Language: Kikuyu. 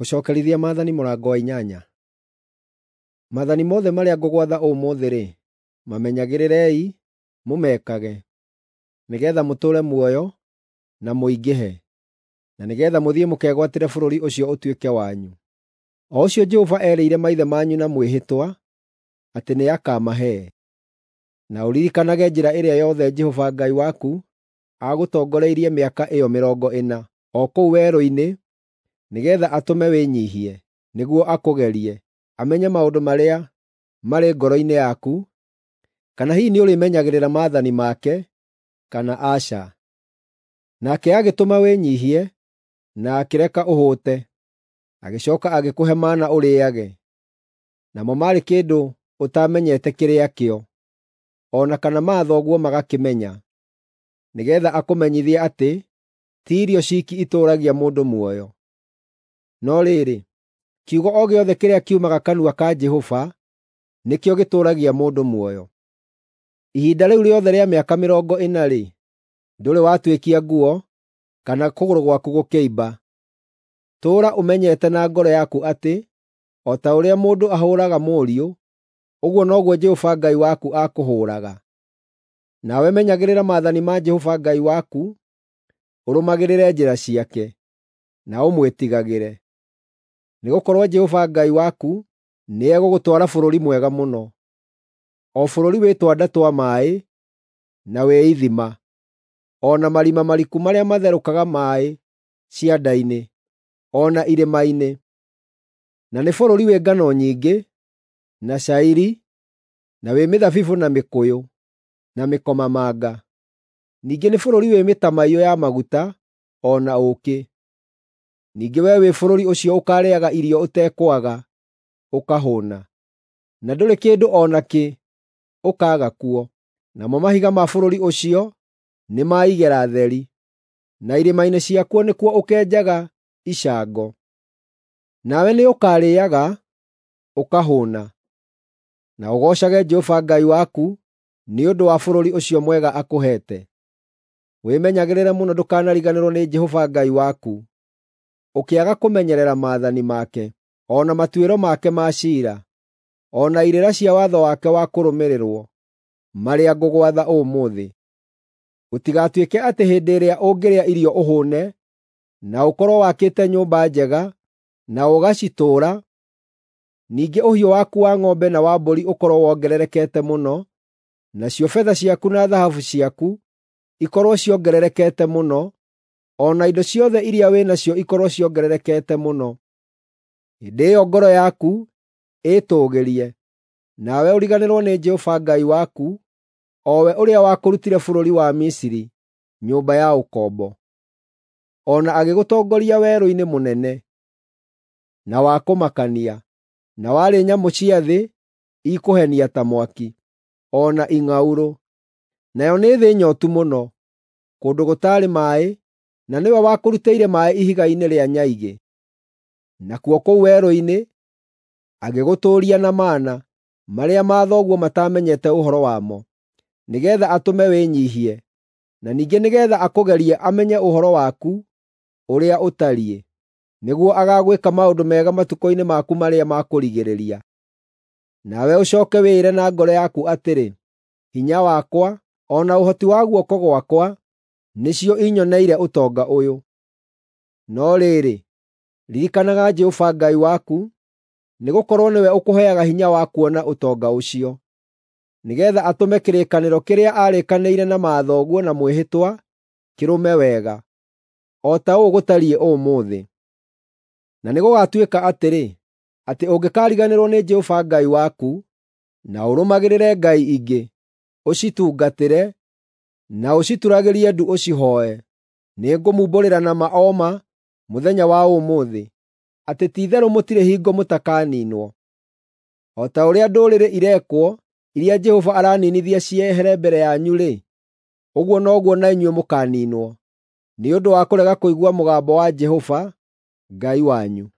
Gũcookerithia maathani mũrango wa inyanya. Maathani mothe marĩa ngũgwatha ũmũthĩ-rĩ, mamenyagĩrĩrei, mũmekage, nĩgeetha mũtũũre muoyo na mũingĩhe, na nĩgeetha mũthiĩ mũkegwatĩre bũrũri ũcio ũtuĩke wanyu, o ũcio Jehova eerĩire maithe manyu na mwĩhĩtwa atĩ nĩakamahe. Na ũririkanage njĩra ĩrĩa yothe Jehova Ngai waku aagũtongoreirie mĩaka ĩyo mĩrongo ĩna o kũu werũ-inĩ nĩgeetha atũme wĩnyiihie, nĩguo akũgerie, amenye maũndũ marĩa marĩ ngoro-inĩ yaku, kana hihi nĩũrĩmenyagĩrĩra maathani make, kana aca. Nake agĩtũma wĩnyiihie na akĩreka ũhũte, agĩcooka agĩkũhe mana ũrĩĩage, namo maarĩ kĩndũ ũtaamenyete kĩrĩa kĩo, o na kana mathoguo magakĩmenya, nĩgeetha akũmenyithie atĩ ti irio ciiki itũũragia mũndũ muoyo. No rĩrĩ, kiugo o gĩothe kĩrĩa kiumaga kanua ka Jehova nĩkĩo gĩtũũragia mũndũ muoyo. Ihinda rĩu rĩothe rĩa mĩaka mĩrongo ĩna-rĩ, ndũrĩ watuĩkia nguo, kana kũgũrũ gwaku gũkĩimba. Tũũra ũmenyete na ngoro yaku atĩ, o ta ũrĩa mũndũ ahũũraga mũriũ, ũguo noguo Jehova Ngai waku akũhũũraga. Nawe menyagĩrĩra maathani ma Jehova Ngai waku, ũrũmagĩrĩre njĩra ciake, na ũmwĩtigagĩre. Nĩgũkorwo Jehova Ngai waku nĩegũgũtwara bũrũri mwega mũno, o bũrũri wĩ twanda twa maaĩ, na wĩ ithima, o na marima mariku marĩa matherũkaga maaĩ cianda-inĩ, o na irĩma-inĩ. Na nĩ bũrũri wĩ ngano nyingĩ, na cairi, na wĩ mĩthabibũ na mĩkũyũ, na mĩkomamanga. Ningĩ nĩ bũrũri wĩ mĩtamaiyũ ya maguta, o na ũũkĩ. Ningĩ wee wĩ bũrũri ũcio ũkaarĩĩaga irio ũtekwaga, ũkahũũna, na ndũrĩ kĩndũ o nakĩ ũkaaga kuo. Namo mahiga ma bũrũri ũcio nĩ ma igera theri, na irĩma-inĩ ciakuo nĩkuo ũkenjaga icango. Nawe nĩũkarĩĩaga, ũkahũũna, na ũgoocage Jehova Ngai waku nĩ ũndũ wa bũrũri ũcio mwega akũheete. Wĩmenyagĩrĩre mũno ndũkanariganĩrwo nĩ Jehova Ngai waku, ũkĩaga kũmenyerera maathani make, o na matuĩro make ma ciira, o na irĩra cia watho wake wa kũrũmĩrĩrwo, marĩa ngũgwatha ũmũthĩ. Gũtigatuĩke atĩ hĩndĩ ĩrĩa ũngĩrĩa irio ũhũũne, na ũkorwo wakĩte nyũmba njega, na ũgacitũũra, ningĩ ũhiũ waku wa ng'ombe na wa mbũri ũkorwo wongererekete mũno, nacio betha ciaku na thahabu ciaku ikorwo ciongererekete mũno, o na indo ciothe iria wĩ nacio ikorwo ciongererekete mũno. Hĩndĩ ĩyo ngoro yaku ĩĩtũũgĩrie, nawe ũriganĩrwo nĩ Jehova Ngai waku, o we ũrĩa wakũrutire bũrũri wa Misiri, nyũmba ya ũkombo, o na agĩgũtongoria werũ-inĩ mũnene, na wa kũmakania, na warĩ nyamũ cia thĩ ikũhenia ta mwaki, o na ing'aurũ. Nayo nĩ thĩ nyootu mũno, kũndũ gũtaarĩ maaĩ, na nĩwe wakũrutĩire maaĩ ihiga-inĩ rĩa nyaigĩ. Nakuo kũu werũ-inĩ agĩgũtũũria na mana, marĩa mathoguo mataamenyete ũhoro wamo, nĩgeetha atũme wĩnyiihie, na ningĩ nĩgeetha akũgerie amenye ũhoro waku ũrĩa ũtariĩ, nĩguo agaagwĩka maũndũ mega matukũ-inĩ maku marĩa ma kũrigĩrĩria. Nawe ũcooke wĩĩre na ngoro yaku atĩrĩ, “Hinya wakwa, o na ũhoti wa guoko gwakwa nĩcio inyoneire ũtonga ũyũ.” No rĩrĩ, ririkanaga Jehova Ngai waku, nĩgũkorwo nĩwe ũkũheaga hinya wa kuona ũtonga ũcio, nĩgeetha atũme kĩrĩkanĩro kĩrĩa aarĩkanĩire na mathoguo na mwĩhĩtwa kĩrũme wega, o ta ũũ gũtariĩ ũmũthĩ. Na nĩgũgatuĩka atĩrĩ, atĩ ũngĩkariganĩrwo nĩ Jehova Ngai waku, na ũrũmagĩrĩre ngai ingĩ, ũcitungatĩre, na ũcituragĩrie ndu ũcihooe, nĩngũmumbũrĩra na ma o ma mũthenya wa ũmũthĩ, atĩ ti-itherũ mũtirĩ hingo mũtakaniinwo. O ta ũrĩa ndũrĩrĩ irekwo iria Jehova araniinithia ciehere mbere yanyu-rĩ, ũguo noguo na inyuĩ mũkaaniinwo, nĩ ũndũ wa kũrega kũigua mũgambo wa Jehova Ngai wanyu.